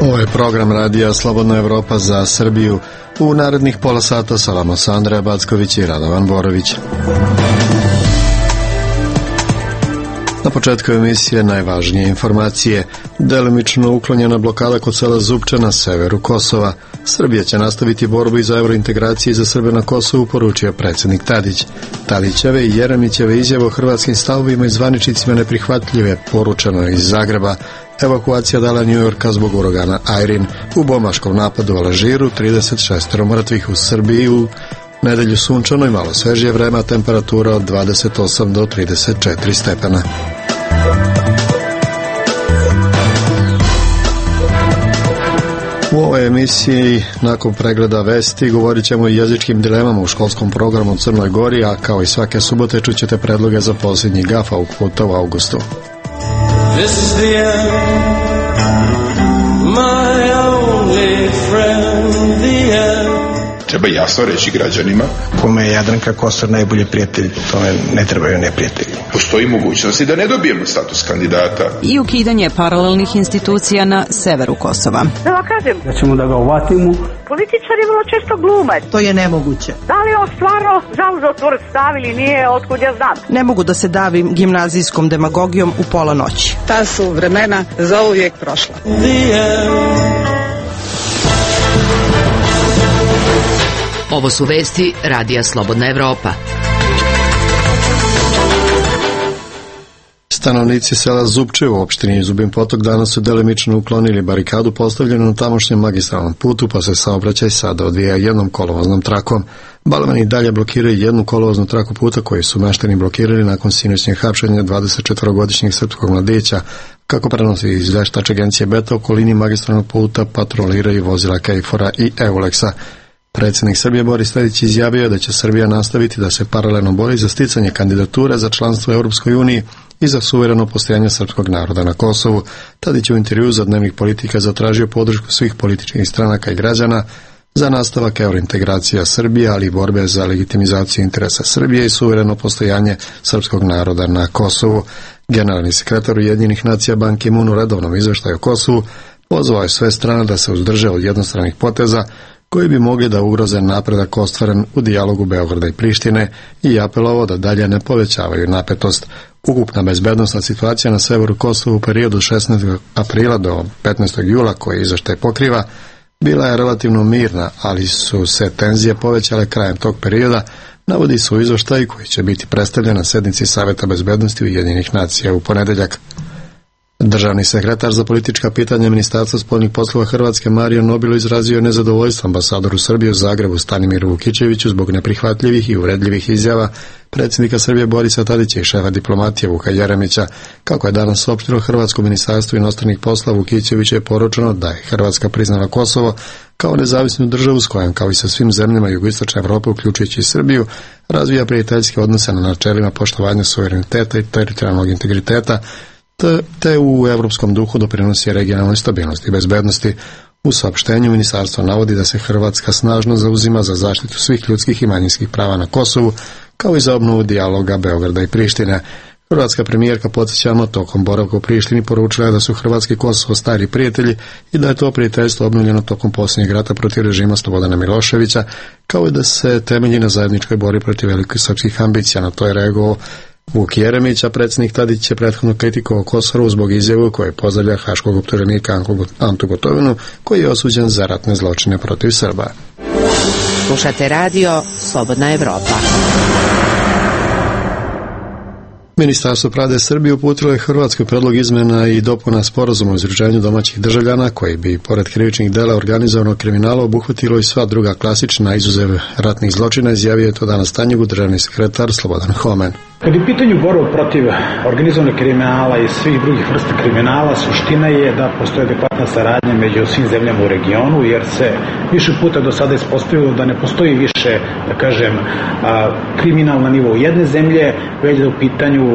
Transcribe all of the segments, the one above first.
Ovo je program radija Slobodna Evropa za Srbiju. U narednih pola sata sa vama su Andreja Backović i Radovan Borović. Na početku emisije najvažnije informacije. Delimično uklonjena blokada kod sela Zupče na severu Kosova. Srbija će nastaviti borbu i za evrointegraciji za Srbe na Kosovu, poručio predsjednik Tadić. Tadićeve i Jeremićeve izjave o hrvatskim stavovima i zvaničnicima neprihvatljive, poručeno iz Zagreba. Evakuacija dala New Yorka zbog uragana Irene. U bombaškom napadu u Alžiru 36 mrtvih. U Srbiji u nedelju sunčano i malo svežije vreme, temperatura od 28 do 34 stepena. U ovoj emisiji, nakon pregleda vesti, govorit ćemo o jezičkim dilemama u školskom programu u Crnoj Gori, a kao i svake subote čućete predloge za posljednji GAF ovog puta u avgustu. This is the end, my only friend, the end. Treba jasno reći građanima kome je Jadranka Kosor najbolji prijatelj, tome ne trebaju neprijatelji. Postoji mogućnosti da ne dobijemo status kandidata. I ukidanje paralelnih institucija na severu Kosova. Da vam kažem, da ćemo da ga uvatimo. Političari vrlo često glume. To je nemoguće. Da li on stvarno zauzeo tvrd stav ili nije, otkud ja znam. Ne mogu da se davim gimnazijskom demagogijom u pola noći. Ta su vremena zauvijek prošla. Ovo su vesti radija Slobodna Evropa. Stanovnici sela Zupče u opštini Zubin Potok danas su delimično uklonili barikadu postavljenu na tamošnjem magistralnom putu, pa se saobraćaj sada odvija jednom kolovoznom trakom. Balvani dalje blokiraju jednu kolovoznu traku puta koju su meštani blokirali nakon sinoćnjeg hapšenja 24-godišnjeg srpskog mladića. Kako prenosi izveštač agencije Beta, okolini magistralnog puta patroliraju vozila Kejfora i Euleksa. Predsjednik Srbije Boris Tadić izjavio da će Srbija nastaviti da se paralelno bori za sticanje kandidature za članstvo u Europskoj uniji i za suvereno postojanje srpskog naroda na Kosovu. Tadić u intervjuu za Dnevnik Politika zatražio podršku svih političkih stranaka i građana za nastavak eurointegracija Srbije, ali i borbe za legitimizaciju interesa Srbije i suvereno postojanje srpskog naroda na Kosovu. Generalni sekretar Ujedinjenih nacija Ban Ki-moon u redovnom izveštaju o Kosovu pozvao je sve strane da se uzdrže od jednostranih poteza koji bi mogli da ugroze napredak ostvaren u dijalogu Beograda i Prištine i apelovao da dalje ne povećavaju napetost. Ukupna bezbednosna situacija na severu Kosova u periodu 16. aprila do 15. jula, koji izveštaj pokriva, bila je relativno mirna, ali su se tenzije povećale krajem tog perioda, navodi se u izveštaju koji će biti predstavljen na sednici Saveta bezbednosti Ujedinjenih nacija u ponedeljak. Državni sekretar za politička pitanja Ministarstva spoljnih poslova Hrvatske Mario Nobilo izrazio nezadovoljstvo ambasadoru Srbije u Zagrebu Stanimiru Vukićeviću zbog neprihvatljivih i uvredljivih izjava predsjednika Srbije Borisa Tadića i šefa diplomatije Vuka Jeremića. Kako je danas saopštilo Hrvatsko ministarstvo inostranih poslova, Vukićeviću je poručeno da je Hrvatska priznala Kosovo kao nezavisnu državu s kojom, kao i sa svim zemljama jugoistočne Evrope, uključujući i Srbiju, razvija prijateljske odnose na načelima poštovanja suvereniteta i teritorijalnog integriteta, te u evropskom duhu doprinosi regionalnoj stabilnosti i bezbednosti. U saopštenju ministarstvo navodi da se Hrvatska snažno zauzima za zaštitu svih ljudskih i manjinskih prava na Kosovu, kao i za obnovu dijaloga Beograda i Prištine. Hrvatska premijerka, podsjećamo, tokom boravka u Prištini poručila je da su Hrvatski i Kosovo stari prijatelji i da je to prijateljstvo obnovljeno tokom posljednjeg rata protiv režima Slobodana Miloševića, kao i da se temelji na zajedničkoj borbi protiv velikih srpskih ambicija. Na to je reagovao Vuk Jeremić, a predsjednik Tadić je prethodno kritikovao Kosovo zbog izjavu koje pozdravlja haškog optuženika Antu Gotovinu, koji je osuđen za ratne zločine protiv Srba. Slušate radio Slobodna Evropa. Ministarstvo pravde Srbije uputilo je Hrvatskoj predlog izmena i dopuna sporazuma o izručenju domaćih državljana koji bi, pored krivičnih dela organizovanog kriminala, obuhvatilo i sva druga klasična izuzev ratnih zločina, izjavio je to danas Tanjugu državni sekretar Slobodan Homen. Kad je u pitanju borba protiv organizovanog kriminala i svih drugih vrsta kriminala, suština je da postoje adekvatna saradnja među svim zemljama u regionu, jer se više puta do sada ispostavilo da ne postoji više, da kažem, kriminal na nivou jedne zemlje, već da je u pitanju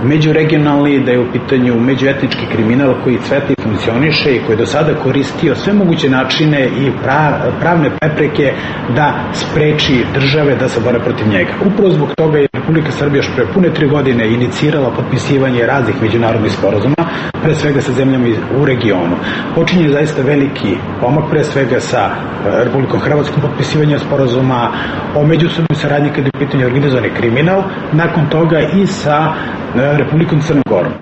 međuregionalni, da je u pitanju međuetnički kriminal koji cveta i funkcioniše i koji je do sada koristio sve moguće načine i pravne prepreke da spreči države da se bore protiv njega. Upravo zbog toga je Republika Srbija još pre pune 3 godine inicirala potpisivanje raznih međunarodnih sporazuma, pre svega sa zemljama u regionu. Počinje zaista veliki pomak, pre svega sa Republikom Hrvatskom potpisivanje sporazuma o međusobnoj saradnji kada je u pitanju organizovani kriminal, nakon toga i sa Republikom Crnom Gorom.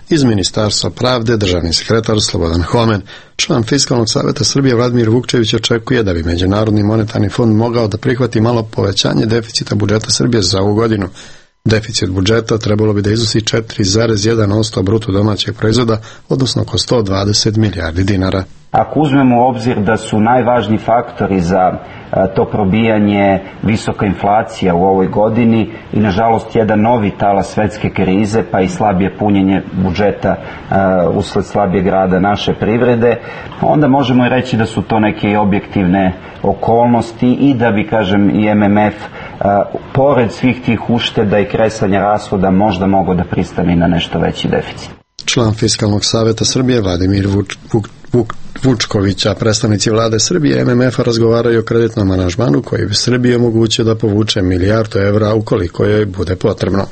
Iz Ministarstva pravde državni sekretar Slobodan Homen, član Fiskalnog saveta Srbije Vladimir Vukčević očekuje da bi Međunarodni monetarni fond mogao da prihvati malo povećanje deficita budžeta Srbije za ovu godinu. Deficit budžeta trebalo bi da iznosi 4,1% bruto domaćeg proizvoda, odnosno oko 120 milijardi dinara. Ako uzmemo u obzir da su najvažniji faktori za to probijanje visoka inflacija u ovoj godini i nažalost jedan novi talas svetske krize pa i slabije punjenje budžeta usled slabijeg rada naše privrede, onda možemo i reći da su to neke objektivne okolnosti i da bi, kažem, i MMF pored svih tih ušteda i kresanja rashoda možda mogao da pristane na nešto veći deficit. Član Fiskalnog saveta Srbije Vladimir Vučković, a predstavnici vlade Srbije i MMF-a razgovaraju o kreditnom aranžmanu koji bi Srbiji omogućio da povuče $1 milijardu ukoliko joj bude potrebno.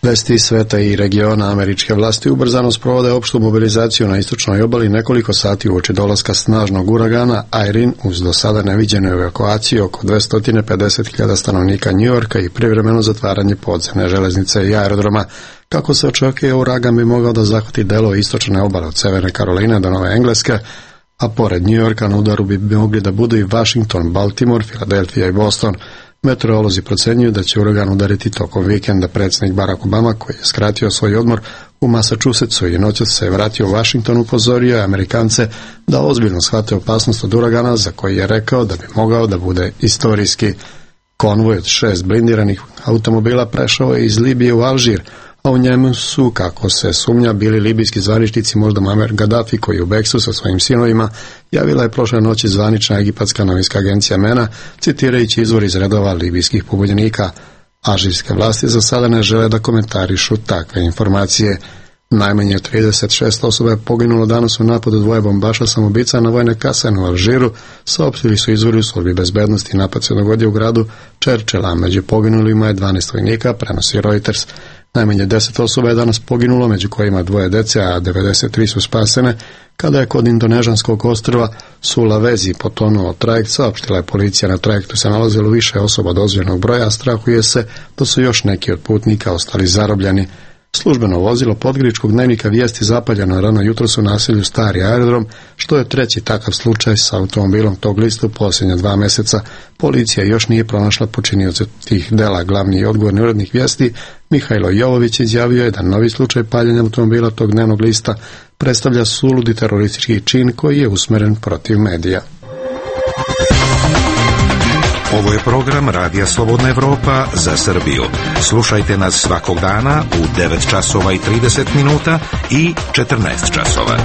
Vesti iz sveta i regiona. Američke vlasti ubrzano sprovode opštu mobilizaciju na istočnoj obali nekoliko sati uoči dolaska snažnog uragana Irene uz do sada neviđenu evakuaciju oko 250.000 stanovnika Njujorka i privremeno zatvaranje podzemne železnice i aerodroma. Kako se očekuje, uragan bi mogao da zahvati delove istočne obale od Severne Karoline do Nove Engleske, a pored Njujorka na udaru bi mogli da budu i Washington, Baltimore, Filadelfija i Boston. Meteorolozi procenjuju da će uragan udariti tokom vikenda. Predsjednik Barack Obama, koji je skratio svoj odmor u Massachusettsu i noćas se vratio u Washington, upozorio je Amerikance da ozbiljno shvate opasnost od uragana, za koji je rekao da bi mogao da bude istorijski. Konvoj od 6 blindiranih automobila prešao je iz Libije u Alžir, a u njemu su, kako se sumnja, bili libijski zvaničnici, možda Muammar Gaddafi, koji je u bekstvu sa svojim sinovima, javila je prošle noći zvanična egipatska novinska agencija MENA, citirajući izvor iz redova libijskih pobunjenika. Alžirske vlasti za sada ne žele da komentarišu takve informacije. Najmanje 36 osoba je poginulo danas u napadu dvoje bombaša samoubica na vojne kasarne u Alžiru, saopštili su izvori u službi bezbednosti. Napad se dogodio u gradu Čerčela, među poginulima je 12 vojnika, prenosi Reuters. Najmanje 10 osoba je danas poginulo, među kojima 2 dece, a 93 su spasene, kada je kod indonežanskog ostrva Sulawesi potonuo trajekt. Saopštila je policija, na trajektu se nalazilo više osoba od dozvoljenog broja, a strahuje se da su još neki od putnika ostali zarobljeni. Službeno vozilo podgoričkog dnevnika Vijesti zapaljeno rano jutros u naselju Stari aerodrom, što je treći takav slučaj sa automobilom tog lista u posljednja 2 meseca. Policija još nije pronašla počinioce tih dela. Glavni i odgovorni urednik Vijesti Mihajlo Jovović izjavio je da novi slučaj paljenja automobila tog dnevnog lista predstavlja suludi teroristički čin koji je usmeren protiv medija. Ovo je program Radija Slobodna Evropa za Srbiju. Slušajte nas svakog dana u 9 časova i 30 minuta i 14 časova.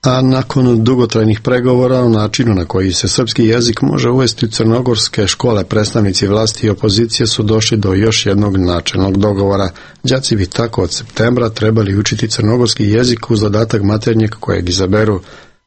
A nakon dugotrajnih pregovora o načinu na koji se srpski jezik može uvesti u crnogorske škole, predstavnici vlasti i opozicije su došli do još jednog načelnog dogovora. Đaci bi tako od septembra trebali učiti crnogorski jezik uz dodatak maternjeg kojeg izaberu.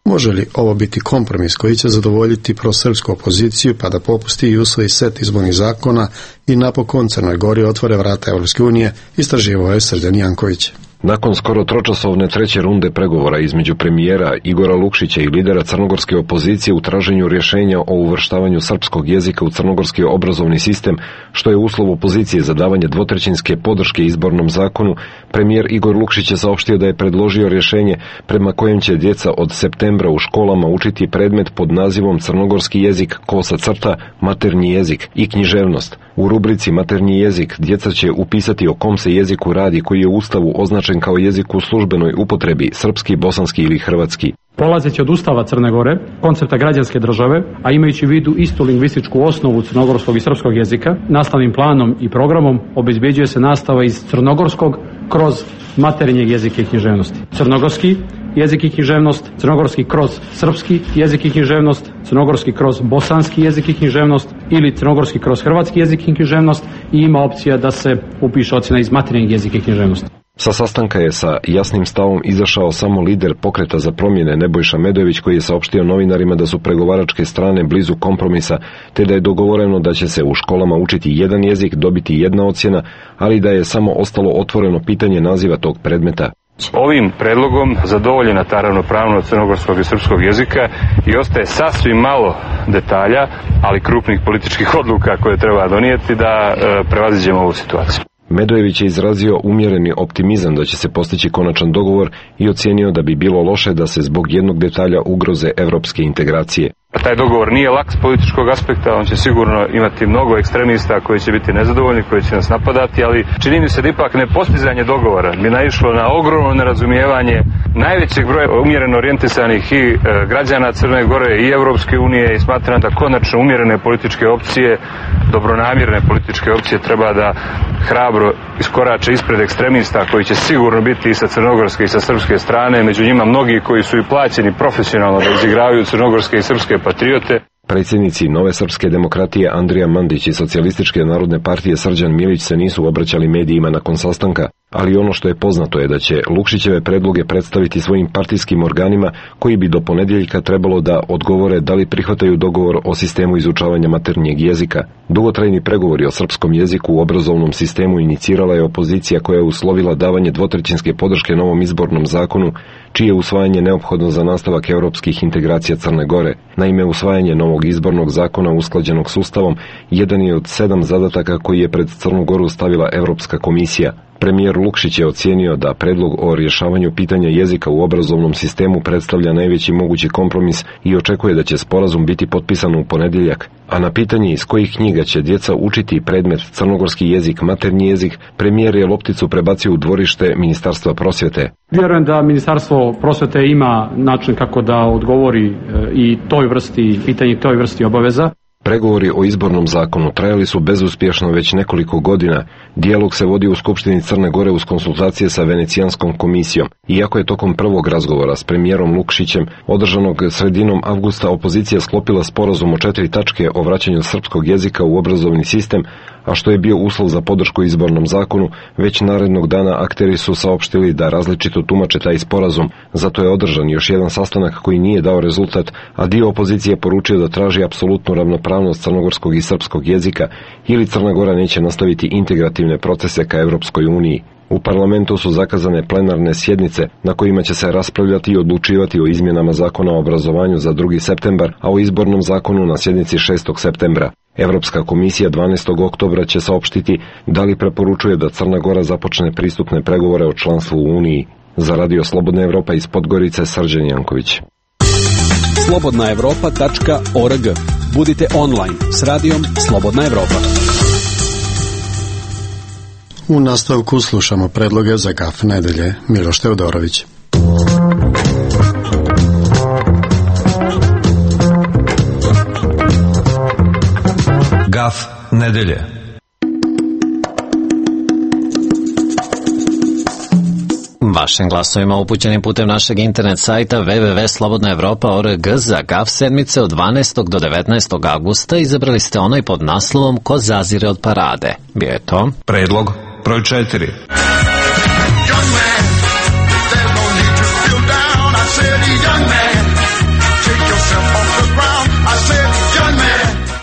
Može li ovo biti kompromis koji će zadovoljiti prosrpsku opoziciju pa da popusti i usvoji set izbornih zakona i napokon Crnoj Gori otvore vrata Evropske unije, istraživao je Srđan Janković. Nakon skoro tročasovne treće runde pregovora između premijera Igora Lukšića i lidera crnogorske opozicije u traženju rješenja o uvrštavanju srpskog jezika u crnogorski obrazovni sistem, što je uslov opozicije za davanje dvotrećinske podrške izbornom zakonu, premijer Igor Lukšić je saopštio da je predložio rješenje prema kojem će djeca od septembra u školama učiti predmet pod nazivom crnogorski jezik, kosa crta, maternji jezik i književnost. U rubrici maternji jezik djeca će upisati o kom se jeziku radi koji je u Ustavu označen kao jezik u službenoj upotrebi, srpski, bosanski ili hrvatski. Polazeći od Ustava Crne Gore, koncepta građanske države, a imajući u vidu istu lingvističku osnovu crnogorskog i srpskog jezika, nastavnim planom i programom obezbeđuje se nastava iz crnogorskog kroz materinjeg jezika i književnosti. Crnogorski jezik i književnost, crnogorski kroz srpski jezik i književnost, crnogorski kroz bosanski jezik i književnost ili crnogorski kroz hrvatski jezik i književnost i ima opcija da se upiše ocjena iz materinjeg jezika i književnosti. Sa sastanka je sa jasnim stavom izašao samo lider Pokreta za promjene Nebojša Medojević, koji je saopštio novinarima da su pregovaračke strane blizu kompromisa, te da je dogovoreno da će se u školama učiti jedan jezik, dobiti jedna ocjena, ali da je samo ostalo otvoreno pitanje naziva tog predmeta. Ovim predlogom zadovoljena ta ravnopravnost crnogorskog i srpskog jezika i ostaje sasvim malo detalja, ali krupnih političkih odluka koje treba donijeti da prevaziđemo ovu situaciju. Medojević je izrazio umjereni optimizam da će se postići konačan dogovor i ocijenio da bi bilo loše da se zbog jednog detalja ugroze evropske integracije. Taj dogovor nije lak s političkog aspekta, on će sigurno imati mnogo ekstremista koji će biti nezadovoljni, koji će nas napadati, ali čini mi se da ipak nepostizanje dogovora bi naišlo na ogromno nerazumijevanje najvećeg broja umjereno orijentisanih i građana Crne Gore i Evropske unije i smatram da konačno umjerene političke opcije, dobronamjerne političke opcije treba da hrabro iskorače ispred ekstremista koji će sigurno biti i sa crnogorske i sa srpske strane, među njima mnogi koji su i plaćeni profesionalno da izigravaju crnogorske i srpske patriote. Predsjednici Nove srpske demokratije Andrija Mandić i Socijalističke narodne partije Srđan Milić se nisu obraćali medijima nakon sastanka, ali ono što je poznato je da će Lukšićeve predloge predstaviti svojim partijskim organima koji bi do ponedjeljka trebalo da odgovore da li prihvataju dogovor o sistemu izučavanja maternjeg jezika. Dugotrajni pregovori o srpskom jeziku u obrazovnom sistemu inicirala je opozicija koja je uslovila davanje dvotrećinske podrške novom izbornom zakonu, čije usvajanje neophodno za nastavak europskih integracija Crne Gore. Naime, usvajanje novog izbornog zakona usklađenog s Ustavom jedan je od 7 zadataka koji je pred Crnu Goru stavila Evropska komisija. Premijer Lukšić je ocijenio da predlog o rješavanju pitanja jezika u obrazovnom sistemu predstavlja najveći mogući kompromis i očekuje da će sporazum biti potpisan u ponedjeljak. A na pitanje iz kojih knjiga će djeca učiti predmet crnogorski jezik, maternji jezik, premijer je lopticu prebacio u dvorište Ministarstva prosvjete. Vjerujem da Ministarstvo prosvjete ima način kako da odgovori i toj vrsti pitanja i toj vrsti obaveza. Pregovori o izbornom zakonu trajali su bezuspješno već nekoliko godina. Dijalog se vodi u Skupštini Crne Gore uz konsultacije sa Venecijanskom komisijom. Iako je tokom prvog razgovora s premijerom Lukšićem, održanog sredinom avgusta, opozicija sklopila sporazum o 4 tačke o vraćanju srpskog jezika u obrazovni sistem, a što je bio uslov za podršku izbornom zakonu, već narednog dana akteri su saopštili da različito tumače taj sporazum. Zato je održan još jedan sastanak koji nije dao rezultat, a dio opozicije poručio da traži apsolutnu ravnopravnost crnogorskog i srpskog jezika ili Crna Gora neće nastaviti integrativne procese ka Evropskoj uniji. U parlamentu su zakazane plenarne sjednice na kojima će se raspravljati i odlučivati o izmjenama zakona o obrazovanju za 2. septembar, a o izbornom zakonu na sjednici 6. septembra. Evropska komisija 12. oktobra će saopštiti da li preporučuje da Crna Gora započne pristupne pregovore o članstvu u Uniji. Za Radio Slobodna Evropa iz Podgorice, Srđan Janković. slobodnaevropa.org. Budite online s radijom Slobodna Evropa. U nastavku slušamo predloge za GAF nedelje. Miloš Teodorović. GAF nedelje. Vašim glasovima upućenim putem našeg internet sajta www.slobodnaevropa.org za GAF sedmice od 12. do 19. augusta izabrali ste onaj pod naslovom Ko zazire od parade. Bio je to predlog broj 4.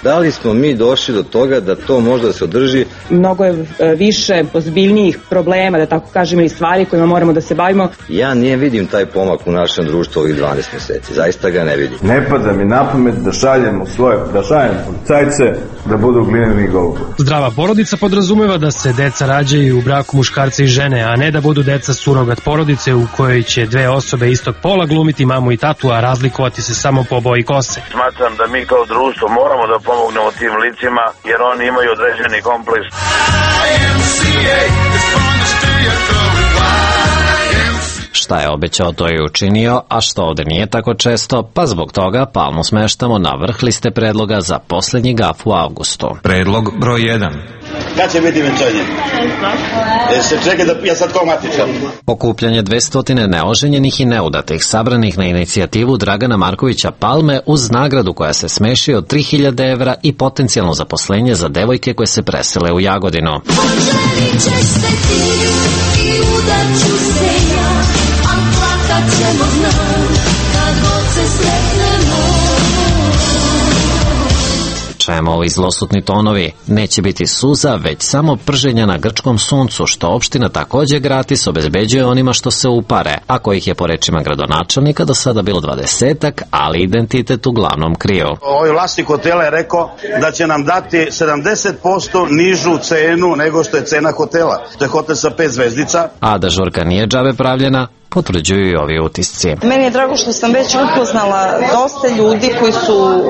Da li smo mi došli do toga da to možda se održi? Mnogo je više ozbiljnijih problema, da tako kažem, ili stvari kojima moramo da se bavimo. Ja nije vidim taj pomak u našem društvu ovih 12 mjeseci. Zaista ga ne vidim. Ne pada mi na pamet da šaljemo policajce da budu glineni golubovi. Zdrava porodica podrazumeva da se deca rađaju u braku muškarca i žene, a ne da budu deca surogat porodice u kojoj će dve osobe istog pola glumiti mamu i tatu, a razlikovati se samo po boji kose. Smatram da mi kao društvo moramo da pomognemo tim licima, jer oni imaju određeni kompleks. Šta je obećao, to je učinio, a što ovde nije tako često, pa zbog toga Palmu smeštamo na vrh liste predloga za posljednji GAF u avgustu. Predlog broj 1. Kad će biti venčanje? Se čeka da ja sad kao matičan. Okupljanje 200 neoženjenih i neudatih sabranih na inicijativu Dragana Markovića Palme uz nagradu koja se smeši od 3000 evra i potencijalno zaposlenje za devojke koje se presele u Jagodinu. udaću se ja, a plakat ćemo znam, kad god se sretnemo. Čemu ovi zlosutni tonovi? Neće biti suza, već samo prženja na grčkom suncu, što opština takođe gratis obezbeđuje onima što se upare, a kojih je po rečima gradonačelnika do sada bilo 20-ak, ali identitet uglavnom kriju. Ovaj vlasnik hotela je rekao da će nam dati 70% nižu cenu nego što je cena hotela. To je hotel sa 5 zvezdica. A da žurka nije džabe pravljena, potvrđuju i ovi utisci. Meni je drago što sam već upoznala dosta ljudi koji su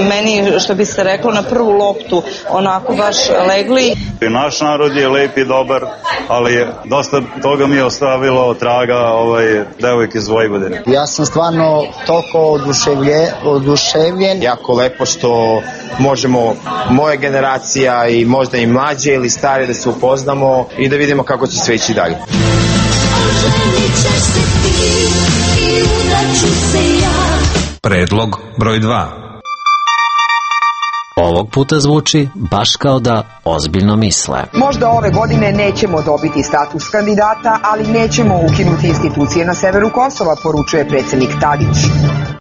meni, što bi se reklo, na prvu loptu onako baš legli. Naš narod je lep i dobar, ali dosta toga mi je ostavilo traga devojk iz Vojvodine. Ja sam stvarno toliko oduševljen. Jako lepo što možemo, moja generacija i možda i mlađe ili stare, da se upoznamo i da vidimo kako će sve ići dalje. Predlog broj 2. Ovog puta zvuči baš kao da ozbiljno misle. Možda ove godine nećemo dobiti status kandidata, ali nećemo ukinuti institucije na severu Kosova, poručuje predsjednik Tadić.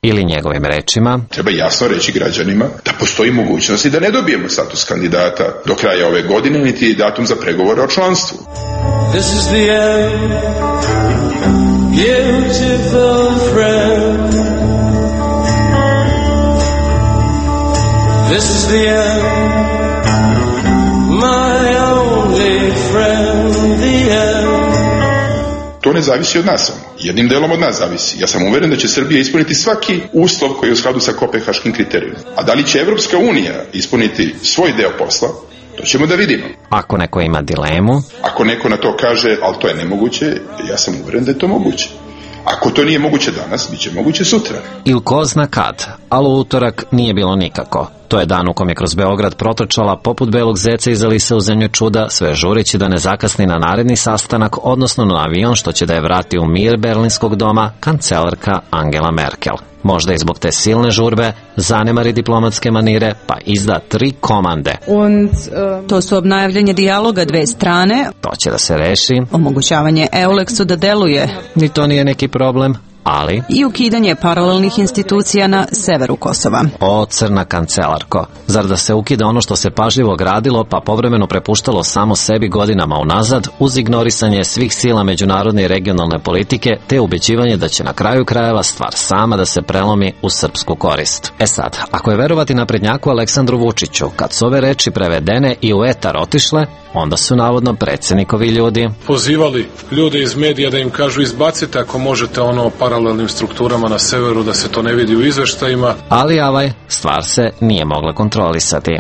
Ili njegovim rečima: treba jasno reći građanima da postoji mogućnost i da ne dobijemo status kandidata do kraja ove godine, niti datum za pregovore o članstvu. This is the end, beautiful friend. This is the end, my only friend, the end. To ne zavisi od nas, jednim delom od nas zavisi. Ja sam uveren da će Srbija ispuniti svaki uslov koji je u skladu sa kopenhaškim kriterijima. A da li će Evropska unija ispuniti svoj deo posla, to ćemo da vidimo. Ako neko ima dilemu, ako neko na to kaže, ali to je nemoguće, ja sam uveren da je to moguće. Ako to nije moguće danas, bit će moguće sutra. Ili ko zna kad, ali u utorak nije bilo nikako. To je dan u kom je kroz Beograd protrčala poput belog zeca iz Alise u zemlju čuda, sve žureći da ne zakasni na naredni sastanak, odnosno na avion što će da je vrati u mir Berlinskog doma kancelarka Angela Merkel. Možda i zbog te silne žurbe zanemari diplomatske manire pa izda 3 komande. To su obnavljanje dijaloga dve strane. To će da se reši. Omogućavanje Eulexu da deluje. Ni to nije neki problem. Ali i ukidanje paralelnih institucija na severu Kosova. O, crna kancelarko, zar da se ukida ono što se pažljivo gradilo pa povremeno prepuštalo samo sebi godinama unazad uz ignorisanje svih sila međunarodne i regionalne politike te ubeđivanje da će na kraju krajeva stvar sama da se prelomi u srpsku korist. E sad, ako je verovati naprednjaku Aleksandru Vučiću, kad su ove reči prevedene i u etar otišle, onda su navodno predsjednikovi ljudi pozivali ljude iz medija da im kažu izbacite ako možete ono paralelnim strukturama na severu, da se to ne vidi u izveštajima. Ali stvar se nije mogla kontrolisati.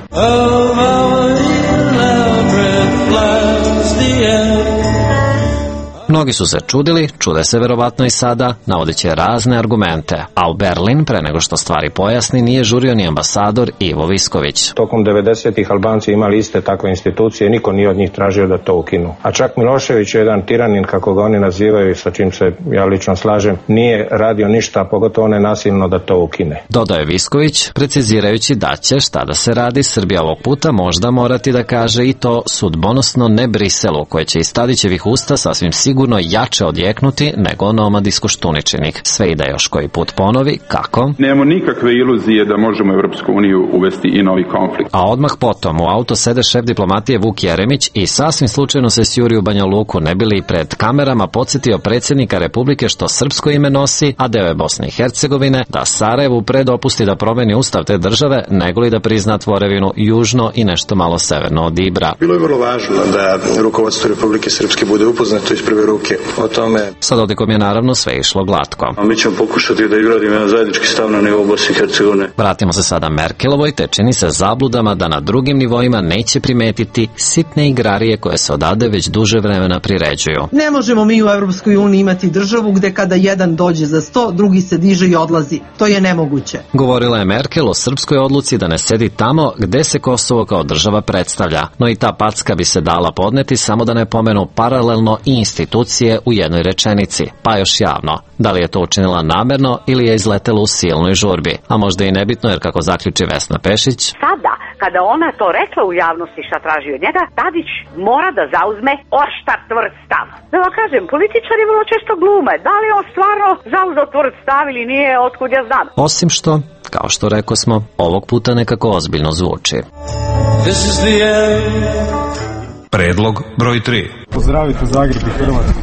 Mnogi su se čudili, čude se verovatno i sada, navodeći razne argumente, a u Berlin, pre nego što stvari pojasni, nije žurio ni ambasador Ivo Visković. Tokom 90-ih Albanci imali iste takve institucije, niko nije od njih tražio da to ukinu. A čak Milošević je jedan tiranin, kako ga oni nazivaju, sa čim se ja lično slažem, nije radio ništa, pogotovo nenasilno da to ukine. Dodao je Visković, precizirajući da će, šta da se radi, Srbija ovog puta možda morati da kaže i to sudbonosno ne Briselu, koje će iz Tadićevih usta sasvim sigurno jače odjeknuti nego Nomadis Koštuničinih. Sve i da još koji put ponovi, kako? Nemamo nikakve iluzije da možemo Evropsku uniju uvesti i novi konflikt. A odmah potom u auto sede šef diplomatije Vuk Jeremić i sasvim slučajno se sjuri u Banja Luku, ne bili pred kamerama podsjetio predsjednika Republike što srpsko ime nosi, a deo je Bosne i Hercegovine, da Sarajevu predopusti da promeni ustav te države, nego li da prizna tvorevinu južno i nešto malo severno od Ibra. Bilo je vrlo važno da rukovodstvo Republike Srpske bude upoznato iz prve ruke o tome. Sa dodikom je naravno sve išlo glatko. A mi ćemo pokušati da izgradimo jedan zajednički stav na nivou Bosne i Hercegovine. Vratimo se sada Merkelovoj, te čini se zabludama da na drugim nivoima neće primetiti sitne igrarije koje se odade već duže vremena priređuju. Ne možemo mi u Evropskoj uniji imati državu gde kada jedan dođe za 100, drugi se diže i odlazi. To je nemoguće. Govorila je Merkel o srpskoj odluci da ne sedi tamo gde se Kosovo kao država predstavlja, no i ta packa bi se dala podneti samo da ne pomenu paralelno i institucije u jednoj rečenici, pa još javno. Da li je to učinila namerno ili je izletelo u silnoj žurbi? A možda i nebitno, jer kako zaključi Vesna Pešić, sada kada ona to rekla u javnosti šta traži od njega, Tadić mora da zauzme oštar tvrd stav. Da vam kažem, političari vrlo često glume. Da li on stvarno zauzeo tvrd stav ili nije, otkud ja znam. Osim što, kao što rekao smo, ovog puta nekako ozbiljno zvuči. Predlog broj 3. Pozdravite Zagreb i Hrvatsku.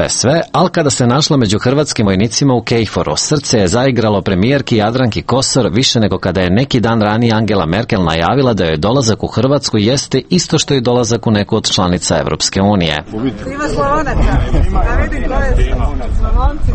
Sve, ali kada se našla među hrvatskim vojnicima u Kejforu, srce je zaigralo premijerki Jadranki Kosor više nego kada je neki dan ranije Angela Merkel najavila da joj dolazak u Hrvatsku jeste isto što i dolazak u neku od članica Evropske unije. Ima Slavonaca, da vidim ko je Slavonci,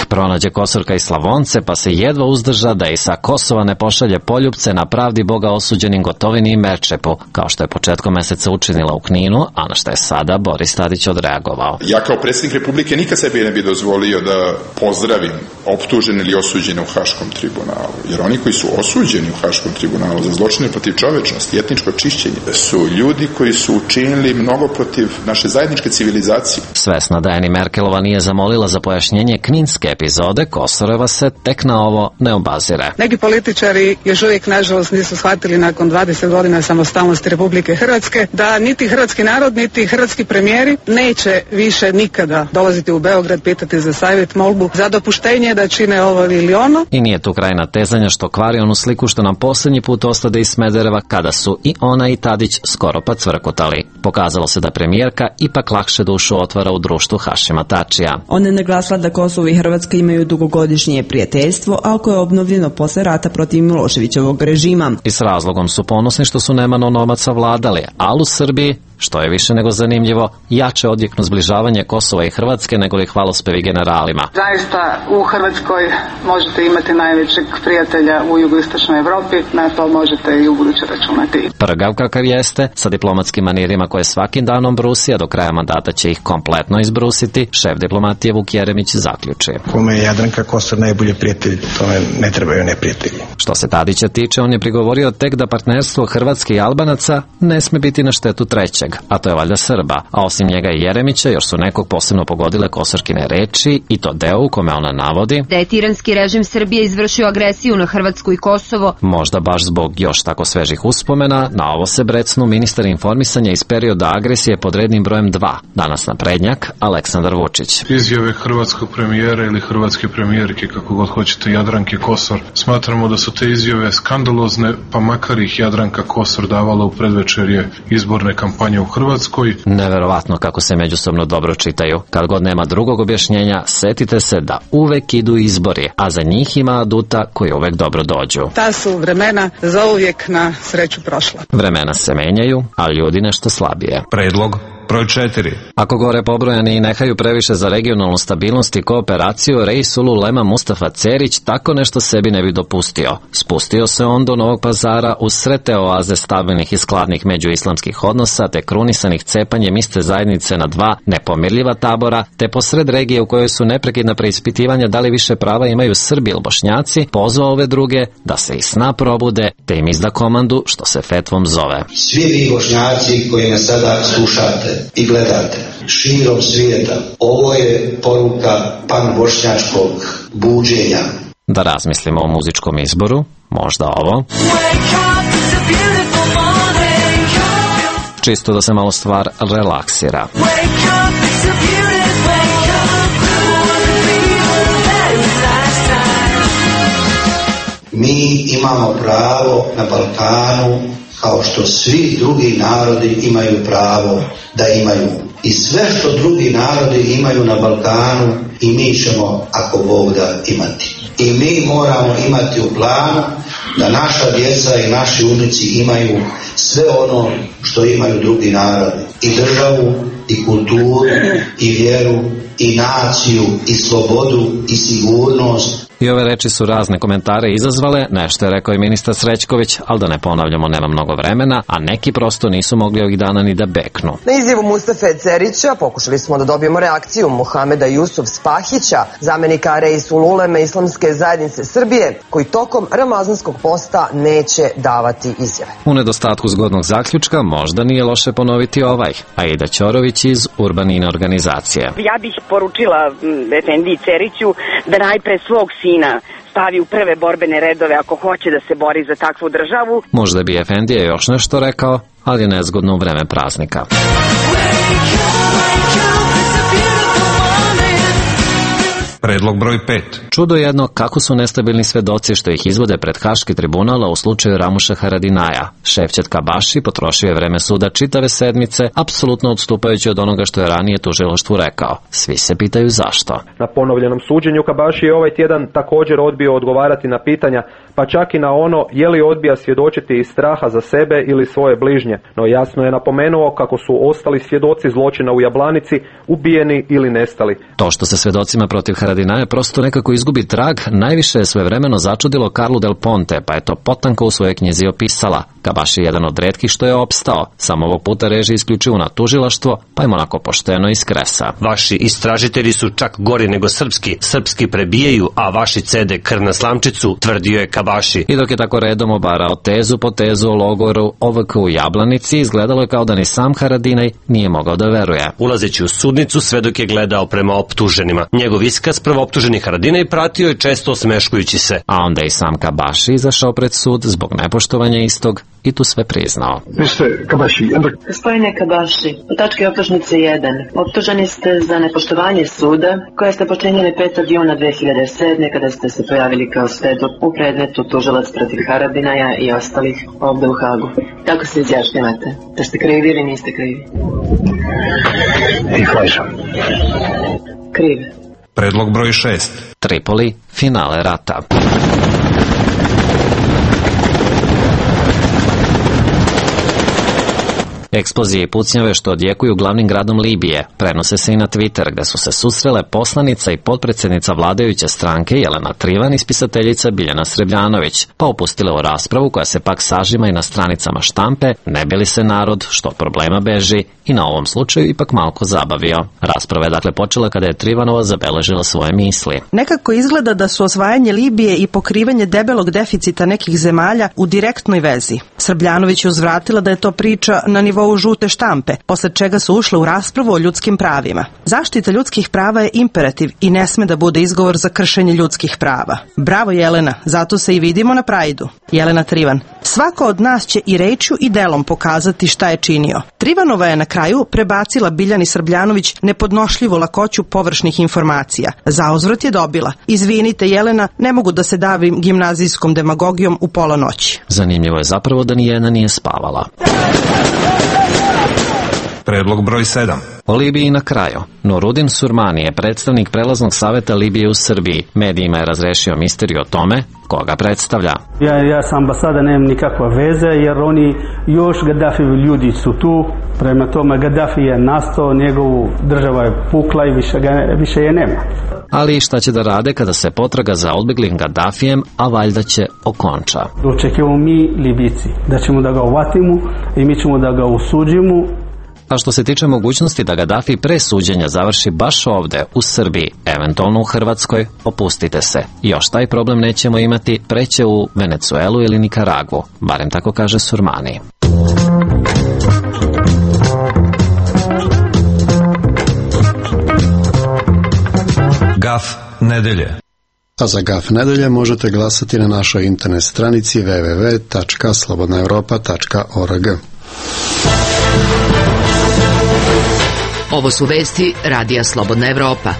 pronađe Kosorka i Slavonce, pa se jedva uzdrža da i sa Kosova ne pošalje poljupce na pravdi Boga osuđenim Gotovini i Merčepu, kao što je početkom meseca učinila u Kninu, a na što je sada Boris Tadić odreagovao. Ja kao predsjednik Republike nikad sebi ne bi dozvolio da pozdravim optužene ili osuđene u Haškom tribunalu, jer oni koji su osuđeni u Haškom tribunalu za zločine protiv čovečnosti i etničko čišćenje su ljudi koji su učinili mnogo protiv naše zajedničke civilizacije. Svesna da je ni Merkelova nije zamolila za pojašnjenje kninske epizode, Kosorova se tek na ovo ne obazire. Neki političari još uvijek nažalost nisu shvatili nakon 20 godina samostalnosti Republike Hrvatske da niti hrvatski narod, niti hrvatski premijeri neće više nikada dolaziti u Beograd pitati za savjet, molbu, za dopuštenje da čine ovo ili ono. I nije tu kraj natezanja što kvari onu sliku što nam posljednji put ostade iz Smedereva kada su i ona i Tadić skoro pa cvrkutali. Pokazalo se da premijerka ipak lakše dušu otvara u društvu Hašima Tačija. Ona je naglasila da Kosovo i Hrvatska imaju dugogodišnje prijateljstvo, a koje je obnovljeno posle rata protiv Miloševićevog režima. I s razlogom su ponosni što su Neman onomaca vladali, ali u Srbiji, što je više nego zanimljivo, jače odjeknu zbližavanje Kosova i Hrvatske nego li hvalospevi generalima. Zaista u Hrvatskoj možete imati najvećeg prijatelja u jugoistočnoj Evropi, na to možete i u buduće računati. Prgav kakav jeste, sa diplomatskim manirima koje svakim danom brusi, a do kraja mandata će ih kompletno izbrusiti, šef diplomatije Vuk Jeremić zaključi. Kome je Jadranka Kosor najbolji prijatelj, tome ne trebaju neprijatelji. Što se Tadića tiče, on je prigovorio tek da partnerstvo Hrvatske i Albanaca ne sme biti na štetu trećeg, a to je valjda Srba, a osim njega i Jeremića još su nekog posebno pogodile Kosorkine reči i to deo u kome ona navodi da je tiranski režim Srbije izvršio agresiju na Hrvatsku i Kosovo. Možda baš zbog još tako svežih uspomena, na ovo se brecnu ministar informisanja iz perioda agresije pod rednim brojem 2, danas naprednjak Aleksandar Vučić. Izjave hrvatskog premijera ili hrvatske premijerke, kako god hoćete, Jadranke Kosor, smatramo da su te izjave skandalozne, pa makar ih Jadranka Kosor davala u predvečerje izborne kampanje u Hrvatskoj. Neverovatno kako se međusobno dobro čitaju. Kad god nema drugog objašnjenja, setite se da uvek idu izbori, a za njih ima aduta koji uvek dobro dođu. Ta su vremena zauvijek na sreću prošla. Vremena se menjaju, a ljudi nešto slabije. Predlog broj 4. Ako gore pobrojani i nehaju previše za regionalnu stabilnost i kooperaciju, Reis Ulema Mustafa Cerić tako nešto sebi ne bi dopustio. Spustio se on do Novog Pazara uz sve te oaze stabilnih i skladnih međuislamskih odnosa, te krunisanih cepanjem iste zajednice na dva nepomirljiva tabora, te posred regije u kojoj su neprekidna preispitivanja da li više prava imaju Srbi ili Bošnjaci, pozvao ove druge da se iz sna probude, te im izda komandu što se fetvom zove. Svi vi Bošnjaci koji me sada slušate i gledate širom svijeta, ovo je poruka panbošnjačkog buđenja. Da razmislimo o muzičkom izboru, možda ovo. Čisto da se malo stvar relaksira. Mi imamo pravo na Balkanu kao što svi drugi narodi imaju pravo da imaju. I sve što drugi narodi imaju na Balkanu i mi ćemo, ako Bog da, imati. I mi moramo imati u planu da naša djeca i naši unuci imaju sve ono što imaju drugi narodi. I državu, i kulturu, i vjeru, i naciju, i slobodu, i sigurnost. I ove reči su razne komentare izazvale, nešto je rekao i ministar Srećković, ali da ne ponavljamo, nema mnogo vremena, a neki prosto nisu mogli ovih dana ni da beknu. Na izjavu Mustafe Cerića pokušali smo da dobijemo reakciju Muhameda Jusuf Spahića, zamenika Reis Uleme Islamske zajednice Srbije, koji tokom ramazanskog posta neće davati izjave. U nedostatku zgodnog zaključka možda nije loše ponoviti ovaj, Aida Ćorović iz Urbanine organizacije. Ja bih poručila Efendi Ceriću da najpre svog sina stavi u prve borbene redove ako hoće da se bori za takvu državu. Možda bi Efendija još nešto rekao, ali nezgodno u vreme praznika. Predlog broj 5. Čudo jedno kako su nestabilni svedoci što ih izvode pred Haški tribunala u slučaju Ramuša Haradinaja. Šefćat Kabaši potrošio je vreme suda čitave sedmice, apsolutno odstupajući od onoga što je ranije tužilaštvu rekao. Svi se pitaju zašto. Na ponovljenom suđenju Kabaši je ovaj tjedan također odbio odgovarati na pitanja, pa čak i na ono je li odbija svjedočiti iz straha za sebe ili svoje bližnje. No jasno je napomenuo kako su ostali svjedoci zločina u Jablanici ubijeni ili nestali. To što se svedocima protiv Haradinaja prosto nekako izgubi trag, najviše je svojevremeno začudilo Karlu Del Ponte, pa je to potanko u svojoj knjizi opisala. Kabaši je jedan od retkih što je opstao. Samo ovog puta reži isključivo na tužilaštvo, pa im onako pošteno iskresa. Vaši istražitelji su čak gori nego srpski. Srpski prebijaju, a vaši cede krv na slamčicu, tvrdio je Kabaši. I dok je tako redom obarao tezu po tezu o logoru OVK u Jablanici, izgledalo je kao da ni sam Haradinaj nije mogao da veruje. Ulazeći u sudnicu, svedok je gledao prema optuženima. Njegov iskaz prvooptuženi Haradinaj pratio je često osmeškujući se. A onda i sam Kabaši izašao pred sud zbog nepoštovanja istog i tu sve priznao. Gospodine Kabaši, u tački optužnice 1. Optuženi ste za nepoštovanje suda koje ste počinili 5. juna 2007. kada ste se pojavili kao svedok u predmetu tužilac protiv Haradinaja i ostalih ovde u Hagu. Tako se izjašnjavate. Da ste krivi ili niste krivi? Krivi. Predlog broj 6. Tripoli, finale rata. Eksplozije i pucnjave što odjekuju glavnim gradom Libije prenose se i na Twitter, gde su se susrele poslanica i potpredsjednica vladajuće stranke Jelena Trivan i spisateljica Biljana Srebljanović, pa opustile u raspravu koja se pak sažima i na stranicama štampe, ne bi li se narod što od problema beži i na ovom slučaju ipak malko zabavio. Rasprava je dakle počela kada je Trivanova zabeležila svoje misli. Nekako izgleda da su osvajanje Libije i pokrivanje debelog deficita nekih zemalja u direktnoj vezi. Srbljanović je uzvratila da je to priča na nivou žute štampe, posle čega su ušle u raspravu o ljudskim pravima. Zaštita ljudskih prava je imperativ i ne sme da bude izgovor za kršenje ljudskih prava. Bravo Jelena, zato se i vidimo na Prajdu. Jelena Trivan. Svako od nas će i rečju i delom pokazati šta je činio. Trivanova je na kraju prebacila Biljani Srbljanović nepodnošljivu lakoću površnih informacija. Zauzvrat je dobila: izvinite Jelena, ne mogu da se davim gimnazijskom demagogijom u pola noći. Zanimljivo je zapravo da nijedna nije spavala. Predlog broj 7. O Libiji na kraju. Nurudin Surmani je predstavnik prelaznog saveta Libije u Srbiji. Medijima je razrešio misteriju o tome koga predstavlja. Ja sa ambasada nemam nikakva veze jer oni još Gaddafijevi ljudi su tu. Prema tome Gaddafi je nastao, njegovu država je pukla i više je nema. Ali šta će da rade kada se potraga za odbeglim Gaddafijem, a valjda će okonča. Očekujemo mi Libijci da ćemo da ga uvatimo i mi ćemo da ga osuđimo. A što se tiče mogućnosti da Gaddafi pre suđenja završi baš ovde, u Srbiji, eventualno u Hrvatskoj, opustite se. Još taj problem nećemo imati, preće u Venecuelu ili Nikaragvu, barem tako kaže Surmani. Gaf nedelje. A za Gaf nedelje možete glasati na našoj internet stranici www.slobodnaevropa.org. Ovo su vesti Radija Slobodna Evropa.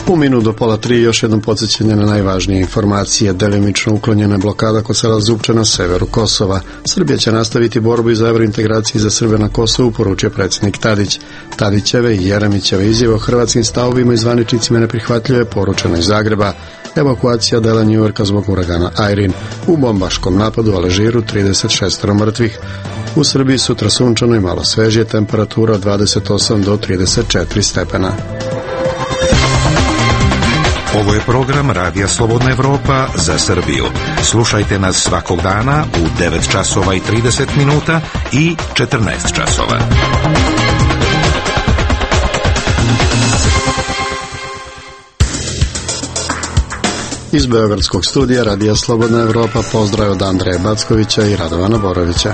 U minut do pola 3 još jednom podsjećanje na najvažnije informacije. Delimično uklonjena blokada kod sela Zupče na severu Kosova. Srbija će nastaviti borbu za evrointegraciju za Srbe na Kosovu, poručio predsjednik Tadić. Tadićeve i Jeremićeve izjave o hrvatskim stavovima i zvaničnicima neprihvatljive, poručeno iz Zagreba. Evakuacija dela Njujorka zbog uragana Irene. U bombaškom napadu u Alžiru 36 mrtvih. U Srbiji sutra sunčano i malo svežije, temperatura od 28 do 34 stepena. Ovo je program Radija Slobodna Evropa za Srbiju. Slušajte nas svakog dana u 9 časova i 30 minuta i 14 časova. Iz beogradskog studija Radija Slobodna Evropa pozdrav od Andreja Backovića i Radovana Borovića.